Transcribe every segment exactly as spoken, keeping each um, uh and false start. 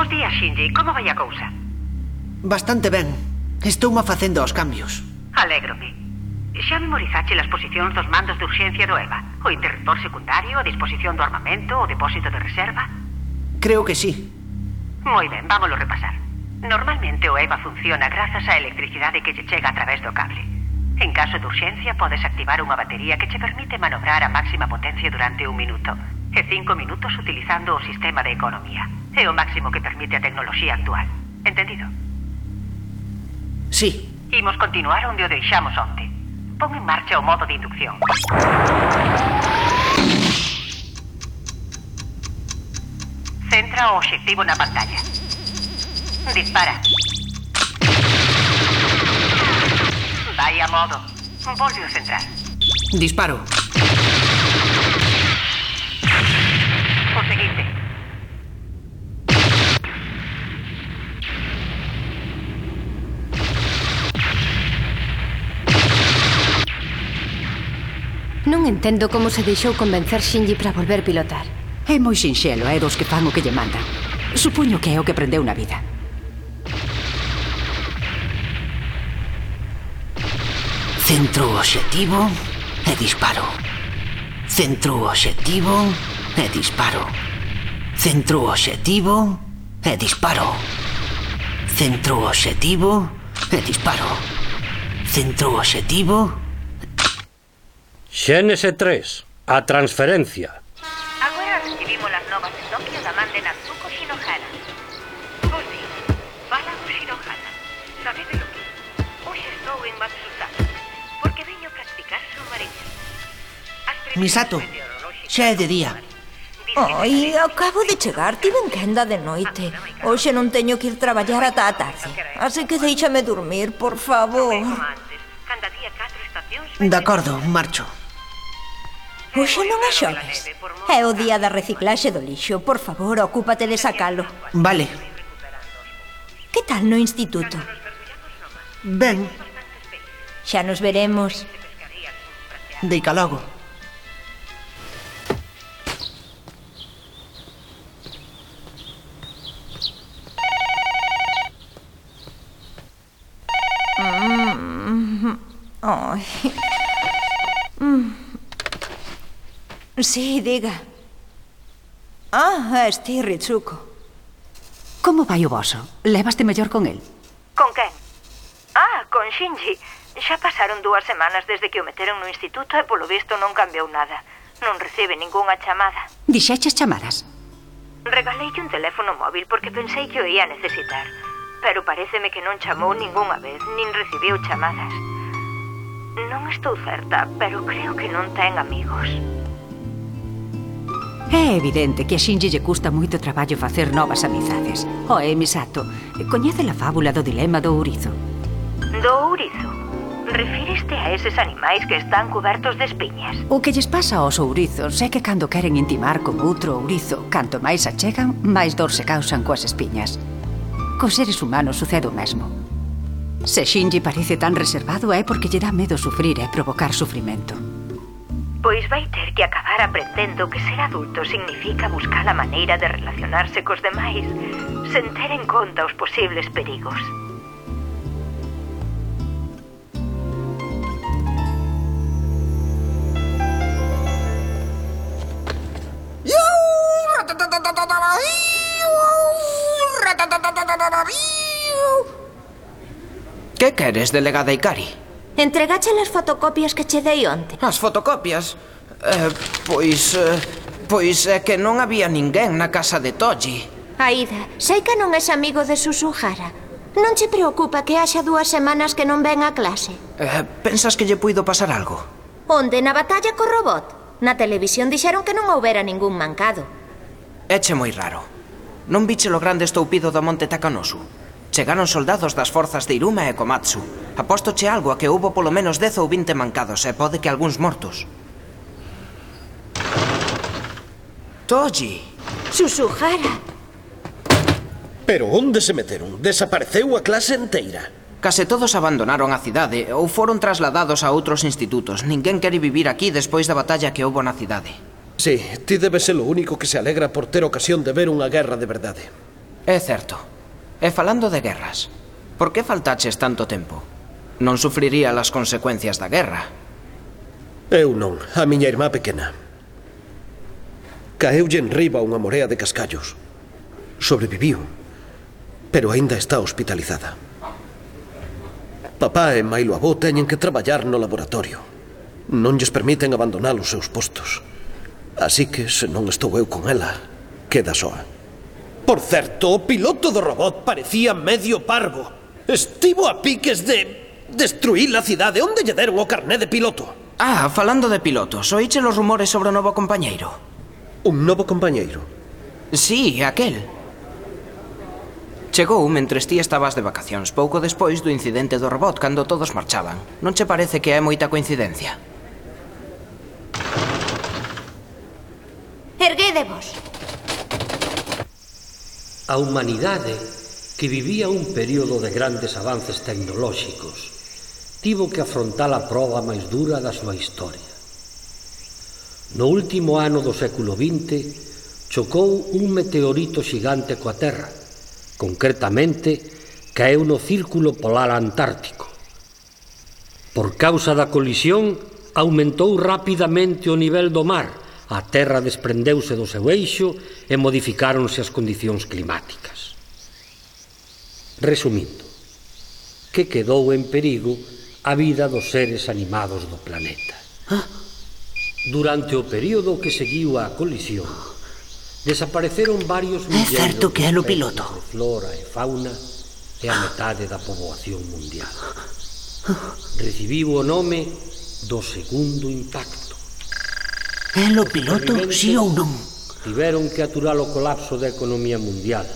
Bos días, Shinji. Como vai a cousa? Bastante ben. Estoume facendo os cambios. Alégrome. Xa memorizache as posicións dos mandos de urxencia do EVA? O interruptor secundario, a disposición do armamento, o depósito de reserva? Creo que sí. Moi ben, vámoslo repasar. Normalmente o EVA funciona grazas á electricidade que lle chega a través do cable. En caso de urxencia, podes activar unha batería que che permite manobrar a máxima potencia durante un minuto e cinco minutos utilizando o sistema de economía. É o máximo que permite a tecnoloxía actual. Entendido? Sí. Imos continuar onde o deixamos onte. Pon en marcha o modo de inducción. Centra o obxectivo na pantalla. Dispara. Vai a modo. Volve a centrar. Disparo. O seguinte. Non entendo como se deixou convencer Shinji para volver pilotar. É moi sinxelo, é dos que fan o que lle mandan. Supoño que é o que aprendeu na vida. Centro o obxectivo e disparo. Centro o obxectivo e disparo. Centro o obxectivo e disparo. Centro o obxectivo e disparo. Centro o obxectivo. Xénese tres, a transferencia. Agora recibimos as novas de Tokio da man de Natsuko Shinohara. Bos días, fala o Shinohara. Sabede lo que? Hoxe estou en Matsusaka, porque veño practicar submarino. Misato, xa é de día. Ai, acabo de chegar, tiven quenda de noite. Hoxe non teño que ir traballar ata a tarde. Así que déixame dormir, por favor. De acordo, marcho. Hoxe non é xoves. É o día da reciclaxe do lixo. Por favor, ocúpate de sacalo. Vale. Que tal no instituto? Ben. Xa nos veremos. Deica logo. Mm. Ai. Mm. Sí, diga. Ah, es ti, Ritsuko. Como vai o voso? Levaste mellor con el? Con quen? Ah, con Shinji. Xa pasaron dúas semanas desde que o meteron no instituto e polo visto non cambiou nada. Non recibe ningunha chamada. Dixeches chamadas? Regaleille un teléfono móvil porque pensei que o ia necesitar. Pero paréceme que non chamou ningunha vez, nin recibiu chamadas. Non estou certa, pero creo que non ten amigos. É evidente que a Shinji lle custa moito traballo facer novas amizades. Oe, Misato, coñece a fábula do dilema do ourizo? Do ourizo? Refíreste a eses animais que están cubertos de espiñas? O que lles pasa aos ourizos é que cando queren intimar con outro ourizo, canto máis achegan, máis dor se causan coas espiñas. Cos seres humanos sucede o mesmo. Se Shinji parece tan reservado é porque lle dá medo sufrir e provocar sufrimento. Pois vai ter que acabar aprendendo que ser adulto significa buscar a maneira de relacionarse cos demais sen ter en conta os posibles perigos. Que queres, delegada Ikari? Entregache as fotocopias que che dei onte. As fotocopias? Eh, pois... Eh, pois é que non había ninguén na casa de Toji. Aida, sei que non és amigo de Susuhara. Non che preocupa que haxa dúas semanas que non ven a clase? Eh, pensas que lle puido pasar algo? Onde, na batalla co robot? Na televisión dixeron que non houbera ningún mancado. Éche moi raro. Non viche lo grande estoupido do monte Takanosu? Chegaron soldados das forzas de Iruma e Komatsu. Apóstoche algo a que houbo polo menos dez ou vinte mancados e pode que algúns mortos. Toji! Susuhara! Pero onde se meteron? Desapareceu a clase inteira. Case todos abandonaron a cidade ou foron trasladados a outros institutos. Ninguén quere vivir aquí despois da batalla que houbo na cidade. Sí, ti debe ser o único que se alegra por ter ocasión de ver unha guerra de verdade. É certo. E falando de guerras, por que faltaches tanto tempo? Non sufriría as consecuencias da guerra. Eu non, a miña irmá pequena. Caeulle enriba unha morea de cascallos. Sobreviviu, pero aínda está hospitalizada. Papá e mailo avó teñen que traballar no laboratorio. Non lles permiten abandonar os seus postos. Así que, se non estou eu con ela, queda soa. Por certo, o piloto do robot parecía medio parvo. Estivo a piques de destruir a cidade. Onde lle deron o carné de piloto? Ah, falando de pilotos, oíche los rumores sobre o novo compañeiro? Un novo compañeiro? Sí, aquel. Chegou mentres ti estabas de vacacións, pouco despois do incidente do robot, cando todos marchaban. Non che parece que é moita coincidencia? Erguédevos. A humanidade, que vivía un período de grandes avances tecnolóxicos, tivo que afrontar a proba máis dura da súa historia. No último ano do século vinte, chocou un meteorito xigante coa Terra. Concretamente, caeu no Círculo Polar Antártico. Por causa da colisión, aumentou rapidamente o nivel do mar, a Terra desprendeuse do seu eixo e modificáronse as condicións climáticas. Resumindo, que quedou en perigo a vida dos seres animados do planeta. Durante o período que seguiu a colisión, desapareceron varios milleiros de especies de flora e fauna e a metade da poboación mundial. Recibiu o nome do segundo impacto. É o piloto, sí ou non? Tiveron que aturar o colapso da economía mundial,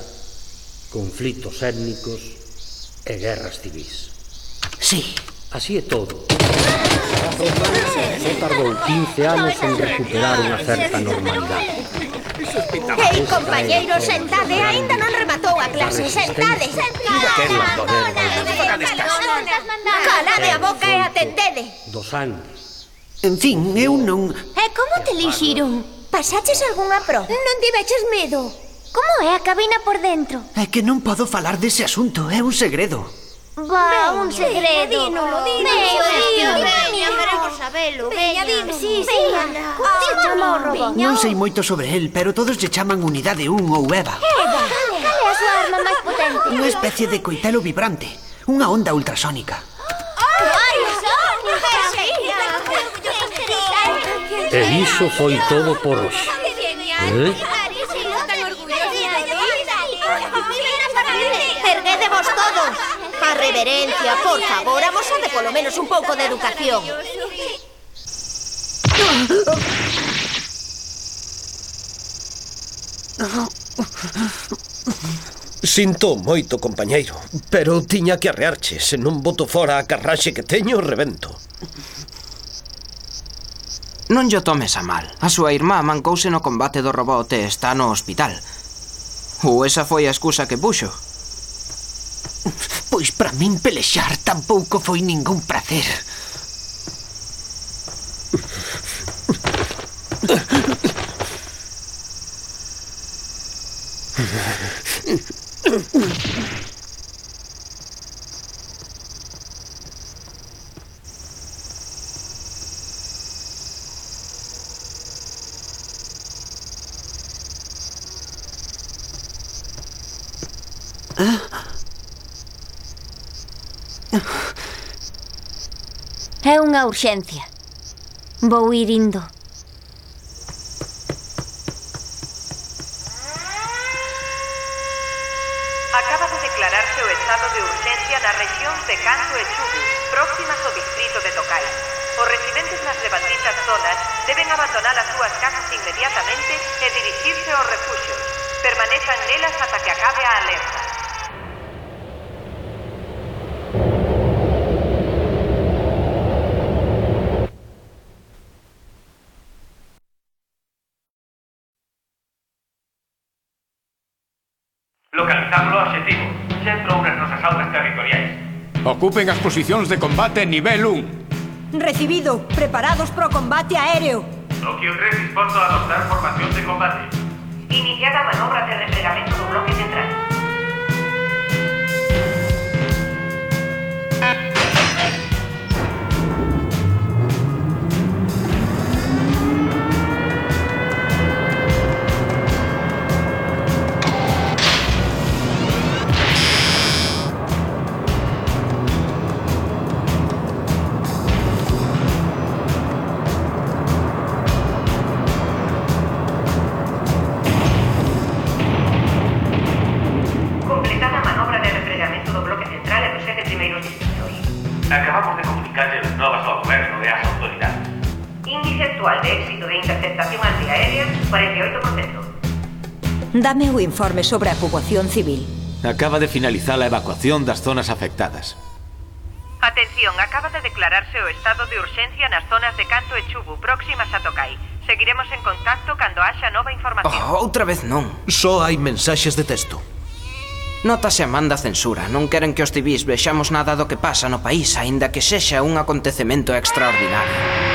conflitos étnicos e guerras civís. Sí. Así é todo. Só tardou quince anos en recuperar unha certa normalidade. Ei, compañeiros, sentade, aínda non rematou a clase, sentade. Calade a boca e atendede. Dos anos. En fin, eu non... E como te lixiron? Pasaches algunha pro? Non tiveches medo? Como é a cabina por dentro? É que non podo falar dese asunto, é un segredo. Va, un segredo. Dínolo, dínolo. Veña, queremos sabelo. Veña, dime, sí, sí. Como se chama o robot? Non sei moito sobre el, pero todos lle chaman Unidade un ou Eva. Eva, cal é a súa arma máis potente? Unha especie de coitelo vibrante, unha onda ultrasónica. E iso foi todo por hoxe. Eh? Erguédevos todos. A reverencia, por favor, amosade polo menos un pouco de educación. Sinto moito, compañeiro, pero tiña que arrearche. Se non boto fora a carraxe que teño, rebento. Non llo tomes a mal. A súa irmá mancouse no combate do robot e está no hospital. Ou esa foi a excusa que puxo? Pois para min pelexar tampouco foi ningún prazer. É unha urxencia. Vou ir indo. Acaba de declararse o estado de urxencia nas rexións de Kanto e Chubu, próximas ao distrito de Tokai. Os residentes nas levanditas zonas deben abandonar as súas casas inmediatamente e dirixirse aos refuxios. Permanezan nelas ata que acabe a alerta. Localizamos o obxectivo. Sempre ou nas nosas aulas territoriais. Ocupen as posicións de combate nivel un. Recibido. Preparados pro combate aéreo. Tokio tres disposto a adoptar formación de combate. Iniciada a manobra de replegamento do bloque central. Penetración antiaérea, cuarenta y ocho por ciento. Dame o informe sobre a poboación civil. Acaba de finalizar a evacuación das zonas afectadas. Atención, acaba de declararse o estado de urxencia nas zonas de Canto e Chubu, próximas a Tokai. Seguiremos en contacto cando haxa nova información. Oh, outra vez non. Só hai mensaxes de texto. Nótase a man da censura. Non queren que os civis vexamos nada do que pasa no país, aínda que sexa un acontecemento extraordinario.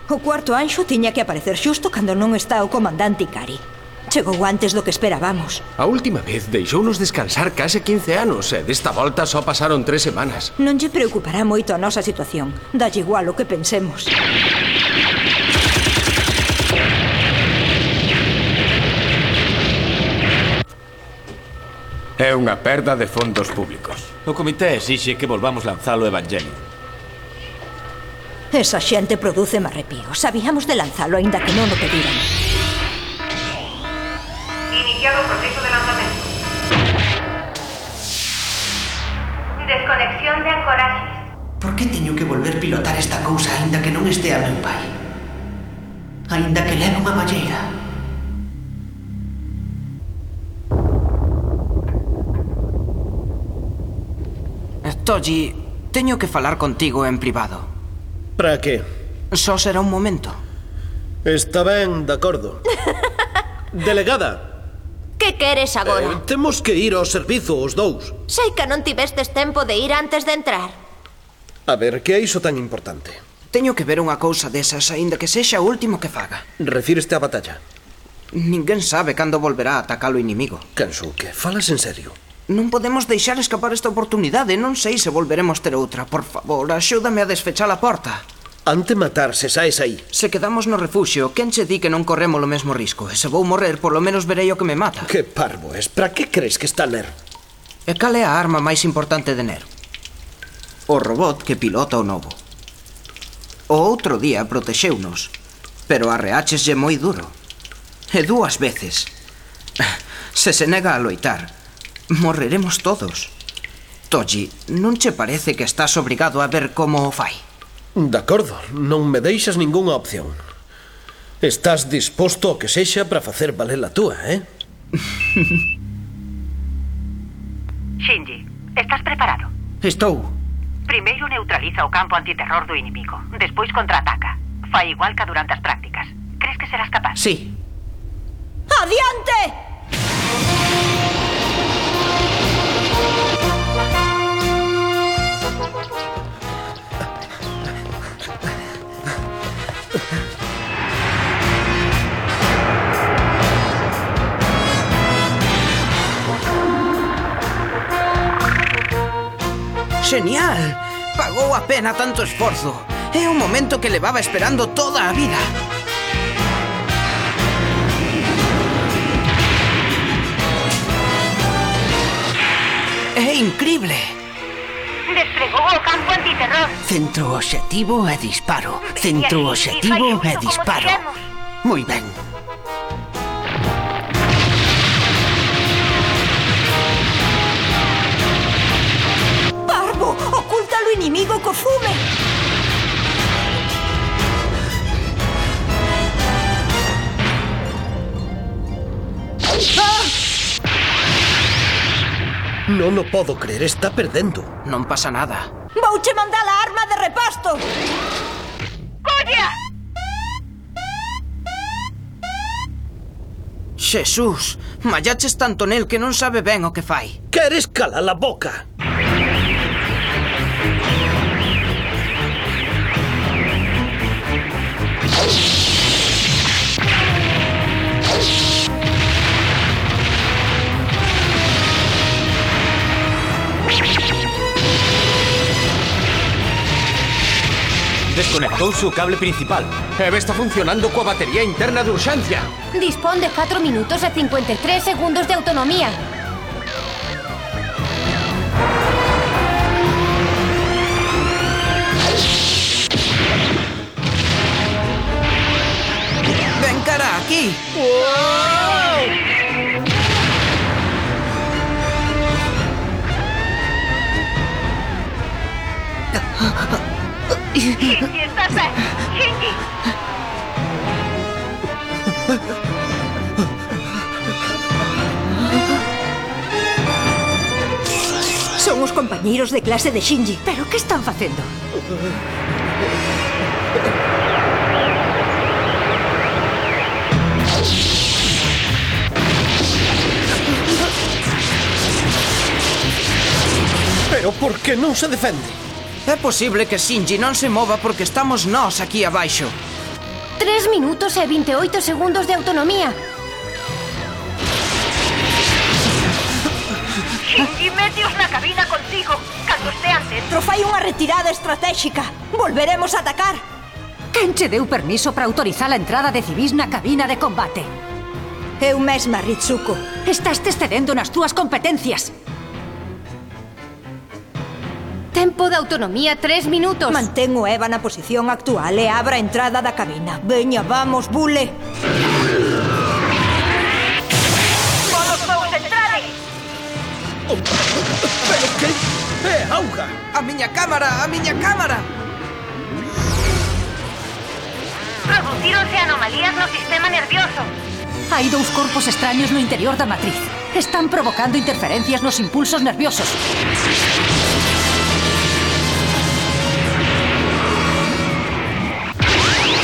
O cuarto anxo tiña que aparecer xusto cando non está o comandante Ikari. Chegou antes do que esperábamos. A última vez deixounos descansar case quince anos e desta volta só pasaron tres semanas. Non lle preocupará moito a nosa situación. Dalle igual o que pensemos. É unha perda de fondos públicos. O comité exixe que volvamos lanzar o Evangelio. Esa xente produce marrepío. Sabíamos de lanzalo, aínda que non o pediran. Iniciado o proceso de lanzamento. Desconexión de ancoraxes. Por que teño que volver pilotar esta cousa aínda que non estea meu pai? Aínda que leve unha malleira. Toji, teño que falar contigo en privado. Para que? Só será un momento. Está ben, de acordo. Delegada. Que queres agora? Eh, temos que ir ao servizo, os dous. Sei que non tivestes tempo de ir antes de entrar. A ver, que é iso tan importante? Teño que ver unha cousa desas, aínda que sexa o último que faga. Refíreste á batalla? Ninguén sabe cando volverá a atacar o inimigo. Kensuke, falas en serio? Non podemos deixar escapar esta oportunidade. Non sei se volveremos ter outra. Por favor, axúdame a desfechar a porta. Ante matarse, saes aí. Se quedamos no refuxio, quen che di que non corremos o mesmo risco? E se vou morrer, polo menos verei o que me mata. Que parvo es. Para que crees que está Ner? E cal é a arma máis importante de Ner? O robot que pilota o novo. O outro día protexeunos, pero arreácheslle moi duro. E dúas veces. Se se nega a loitar, morreremos todos. Toji, non che parece que estás obrigado a ver como o fai? De acordo, non me deixas ningunha opción. Estás disposto ao que sexa para facer valer a túa, eh? Shinji, estás preparado? Estou. Primeiro neutraliza o campo antiterror do inimigo. Despois contraataca. Fai igual que durante as prácticas. Crees que serás capaz? Sí. ¡Adiante! Genial! Pagou a pena tanto esforzo. É un momento que levaba esperando toda a vida. É incrible. Desplegou o campo antiterror. Centro obxectivo e disparo. Centro obxectivo e disparo. Moi ben. Parvo, oculta o inimigo co fume. ¡Ah! Non o podo creer, está perdendo. Non pasa nada. Vouche mandar a arma de repasto. ¡Colla! Xesús, mallaches tanto nel que non sabe ben o que fai. Queres calar a boca? Desconectouse o cable principal. Eve está funcionando coa batería interna de urxencia. Dispón de catro minutos e cincuenta e tres segundos de autonomía. Ven cara aquí. ¡Shinji, estás ahí! ¡Shinji! compañeiros de clase de Shinji. Pero que están facendo? Pero por que non se defende? É posible que Shinji non se mova porque estamos nós aquí abaixo. Tres minutos e vinte e oito segundos de autonomía. Shinji, meteos na cabina contigo. Cando estean dentro, Fai unha retirada estratégica. Volveremos a atacar. Quen che deu permiso para autorizar a entrada de civis na cabina de combate? Eu mesma, Ritsuko. Estás te excedendo nas túas competencias. Tempo de autonomía tres minutos. Mantén o Eva na posición actual e abra a entrada da cabina. Veña, vamos, Bule. Todos vos entrade. Pero que é auga? A miña cámara, a miña cámara. Producíronse anomalías no sistema nervioso. Hai dous corpos extraños no interior da matriz. Están provocando interferencias nos impulsos nerviosos.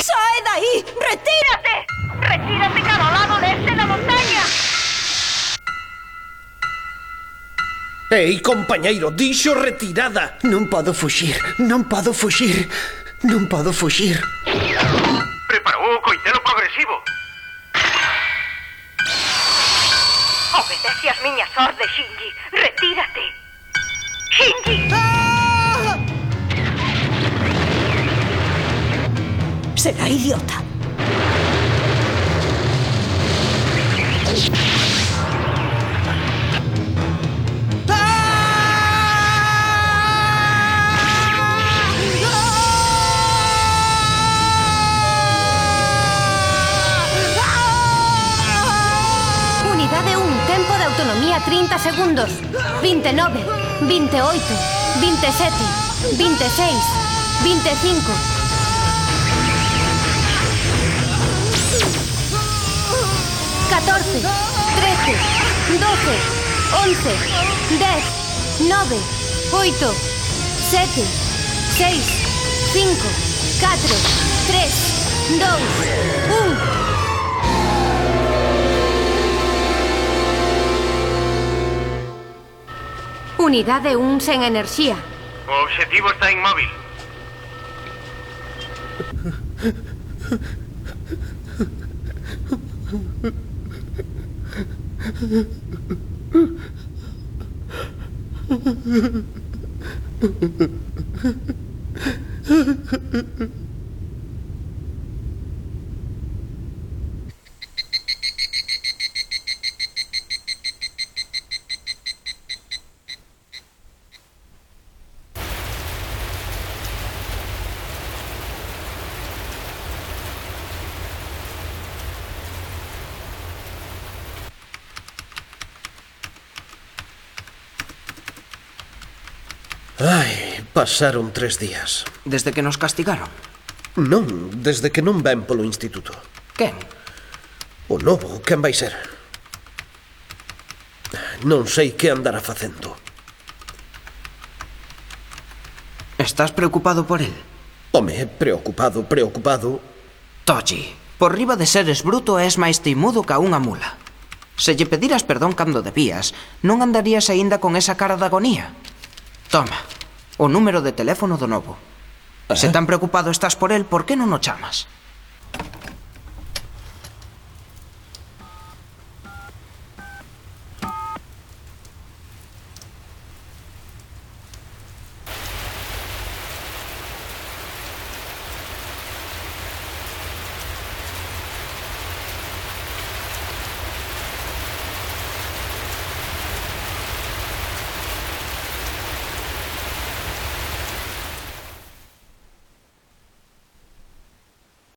Sae dai! Retírate! Retírate cada lado leste da montaña. Ei, compañeiro, dixo retirada. Non podo fuxir, non podo fuxir, non podo fuxir. Preparou o coitelo progresivo. Obedece as miñas ordes, Shinji. Retírate. Shinji! Será idiota. Unidade un, tempo de autonomía trinta segundos. vinte e nove, vinte e oito, vinte e sete, vinte e seis, vinte e cinco. catorce, trece, doce, once, dez, nove, oito, sete, seis, cinco, catro, tres, dous, un. Unidade un sen enerxía. O obxectivo está inmóvil. Ai, pasaron tres días. Desde que nos castigaron. Non, desde que non ven polo instituto. Quen? O novo, quen vai ser? Non sei que andará facendo. Estás preocupado por el? Home, preocupado, preocupado. Toji, por riba de seres bruto és máis teimudo ca unha mula. Se lle pediras perdón cando debías, non andarías aínda con esa cara de agonía. Toma, o número de teléfono do novo. Se tan preocupado estás por el, por que non o chamas?